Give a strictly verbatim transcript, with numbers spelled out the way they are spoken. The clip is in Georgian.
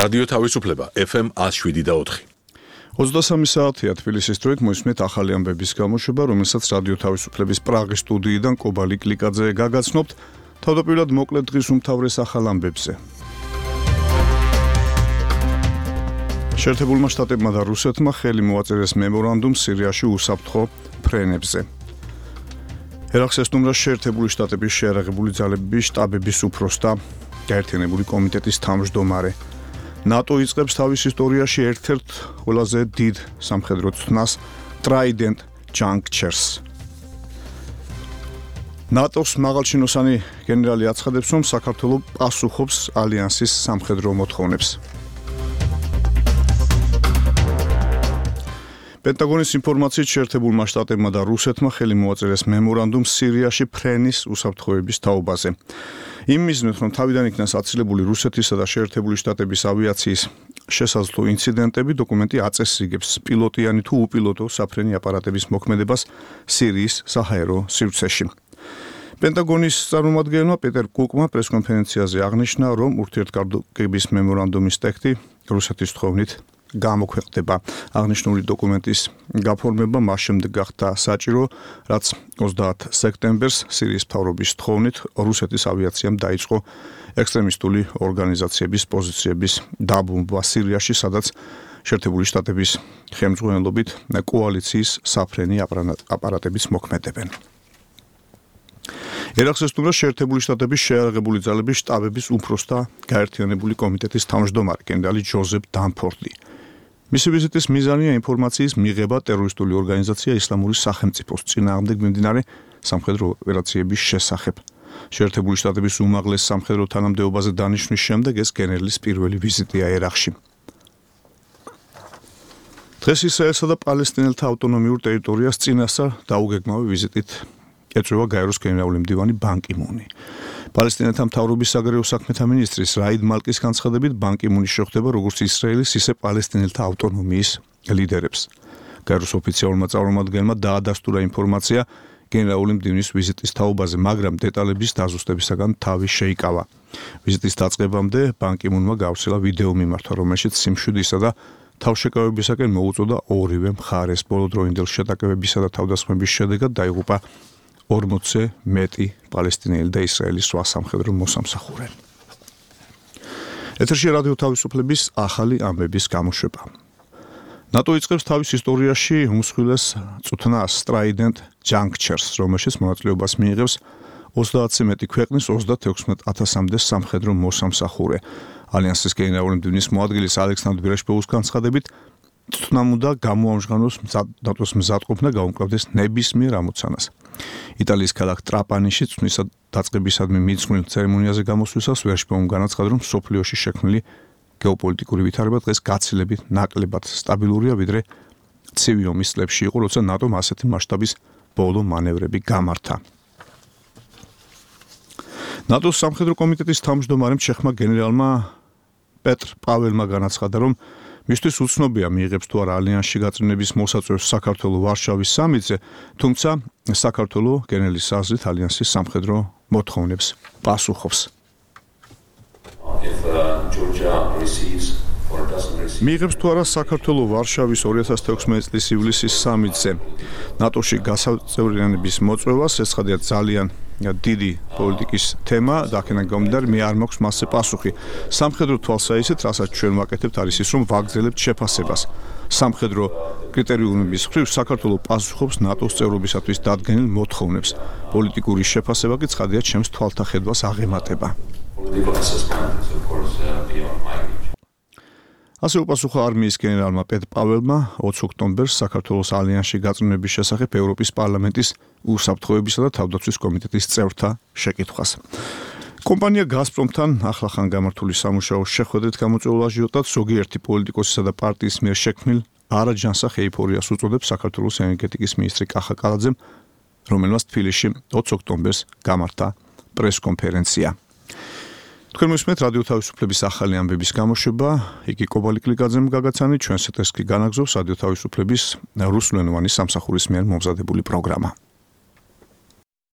რადიო თავისუფლება ეფ ემ one oh seven და four. ოცდასამი საათია თბილისის დროით მოისმენთ ახალი ამბების გამოშვება, რომელსაც რადიო თავისუფლების პრაღის სტუდიიდან კობალი კლიკაძე გაგაცნობთ. თავდაპირველად მოკლედ დღის უმთავრეს ახალ ამბებზე. შეერთებულმა შტატებმა და რუსეთმა ხელი მოაწერეს მემორანდუმს სირიაში უსაფრთხო ფრენებზე. ერაყს ესტუმრა შეერთებული შტატების შეიარაღებული ძალების შტაბების უფროსთა გაერთიანებული კომიტეტის თავმჯდომარე. ნატო იწყებს თავის ისტორიაში ერთ-ერთ ყველაზე დიდ სამხედრო ცნას Trident Junctures. ნატოს მაღალჩინოსანი გენერალი აცხადებს, რომ საქართველო პასუხობს ალიანსის სამხედრო მოთხოვნებს. პენტაგონის ინფორმაციით შეერთებულმა შტატებმა და რუსეთმა ხელი მოაწერეს მემორანდუმს სირიაში ფრენის უსაფრთხოების თაობაზე. იმ მიზნით, რომ თავიდან იქნას აცილებული რუსეთისა და შეერთებული შტატების ავიაციის შესაძლო ინციდენტები, დოკუმენტი აწესრიგებს პილოტიანი თუ უპილოტო საფრენი აპარატების მოქმედებას სირიის საჰაერო სივრცეში. პენტაგონის წარმომადგენელმა პეტერ კუკმა პრესკონფერენციაზე აღნიშნა, რომ ურთიერთკავშირების მემორანდუმის ტექსტი რუსეთის თხოვნით გამოქვეყნდება. აღნიშნული დოკუმენტის გაფორმება მას შემდეგ გახდა საჭირო, რაც ოცდაათ სექტემბერს სირიის მთავრობის თხოვნით რუსეთის ავიაციამ დაიწყო ექსტრემისტული ორგანიზაციების პოზიციების დაბომბვა სირიაში, სადაც შეერთებული შტატების ხელმძღვანელობით კოალიციის საფრენი აპარატების მოქმედებენ. ერაყს ესტუმრა შეერთებული შტატების შეიარაღებული ძალების შტაბების უფროსთა გაერთიანებული კომიტეტის თავმჯდომარე გენერალი ჯოზეფ დანფორდი. მისი ვიზიტის მიზანია ინფორმაციის მიღება ტერორისტული ორგანიზაცია ისლამური სახელმწიფოს წინააღმდეგ მიმდინარე სამხედრო ოპერაციების შესახებ. შეერთებული შტატების უმაღლეს სამხედრო თანამდებობაზე დანიშვნის შემდეგ ეს გენერლის პირველი ვიზიტია ერაყში. დღეს ისრაელსა და პალესტინელთა ავტონომიურ ტერიტორიას წინასწარ დაუგეგმავი ვიზიტით ეწევა გაეროს გენერალური მდივანი ბან კი მუნი. პალესტინელთა მთავრობის საგარეო საქმეთა მინისტრის რაიდ მალკის განცხადებით ბან კი მუნი შეხვდება როგორც ისრაელის, ისე პალესტინელთა ავტონომიის ლიდერებს. გაეროს ოფიციალურმა წარმომადგენელმა დაადასტურა ინფორმაცია გენერალური მდივნის ვიზიტის თაობაზე, მაგრამ დეტალების დაზუსტებისაგან თავი შეიკავა. ვიზიტის დაწყებამდე ბან კი მუნმა გავრცელა ვიდეო მიმართვა, რომელშიც სიმშვიდისა და თავშეკავებისაკენ მოუწოდა ორივე მხარეს. ბოლოდროინდელ შეტაკებებისა და თავდასხმების შედეგად დაიღუპა ორმოცზე მეტი პალესტინელი და ისრაელის სხვა სამხედრო მოსამსახურე. ეთერში რადიო თავისუფლების ახალი ამბების გამოშვება. ნატო იწყებს თავის ისტორიაში უმსხვილეს წუთნას Trident Junctures, რომელშიც მონაწილეობას მიიღებს ოცდაათზე მეტი ქვეყნის ოცდათექვსმეტ ათასამდე სამხედრო მოსამსახურე. ალიანსის გენერალური მდივნის მოადგილის ალექსანდრ ბერეშპოვის განცხადებით, წუთნამ უნდა გამოამჟღავნოს ნატოს მზადყოფნა და გაუმკლავდეს ნებისმიერ ამოცანას. იტალიის ქალაქ ტრაპანიში წვნის დაწყებისადმი მიძღვნილ ცერემონიაზე გამოსვლისას ვერშპოუმ განაცხადა, რომ სოფლიოში შექმნილი გეოპოლიტიკური ვითარება დღეს გაცილებით ნაკლებად სტაბილურია, ვიდრე ცივი ომის წლებში იყო, როცა ნატომ ასეთი მასშტაბის ბოლო მანევრები გამართა. ნატოს სამხედრო კომიტეტის თავმჯდომარემ ჩეხმა გენერალმა პეტრ პაველმა განაცხადა, რომ მისთვის უცნობია მიიღებს თუ არა ალიანსში გაწმენდების მოსაწვევს საქართველოს ვარშავის სამიტზე, თუმცა საქართველოს გენერლის აზრით ალიანსის სამხედრო მოთხოვნებს პასუხობს. მიიღებს თუ არა საქართველოს ვარშავის ორი ათას თექვსმეტი წლის ივლისის სამიტზე ნატოში გასაწევრიანების მოწვევას, ეს ხადია ძალიან დიდი პოლიტიკის თემა და აქედან გამომდინარე მე არ მაქვს მასზე პასუხი. სამხედრო თვალსაჩინო, რასაც ჩვენ ვაკეთებთ, არის ის, რომ ვაგრძელებთ შეფასებას. სამხედრო კრიტერიუმების მხრივ საქართველოს პასუხობს ნატოს წევრობისათვის დადგენილ მოთხოვნებს. პოლიტიკური შეფასება კი ცხადია ჩემს თვალთახედვას აღემატება. ასე უპასუხა არმიის გენერალმა პეტრ პაველმა ოცი ოქტომბერს საქართველოს ალიანსში გაწმენდების შესახებ ევროპის პარლამენტის უსაფრთხოებისა და თავდაცვის კომიტეტის წევრთა შეკითხვას. კომპანია გაზპრომთან ახლახან გამართული სამუშაოს შეხვედრით გამოწვეულ აჟიოტაჟს ზოგიერთი პოლიტიკოსისა და პარტიის მიერ შექმნილ არაჯანსაღ ეიფორიას უწოდებს საქართველოს ენერგეტიკის მინისტრი კახა კალაძემ, რომელმაც თბილისში ოცი ოქტომბერს გამართა პრესკონფერენცია. თქვენ მოსმენთ რადიო თავისუფლების ახალი ამბების გამოშვება, იგი კობალი კლიკაძემ გაგაცანით, ჩვენს ეთერს კი განაგზობს რადიო თავისუფლების რუსულენოვანი სამსახურის მიერ მომზადებული პროგრამა.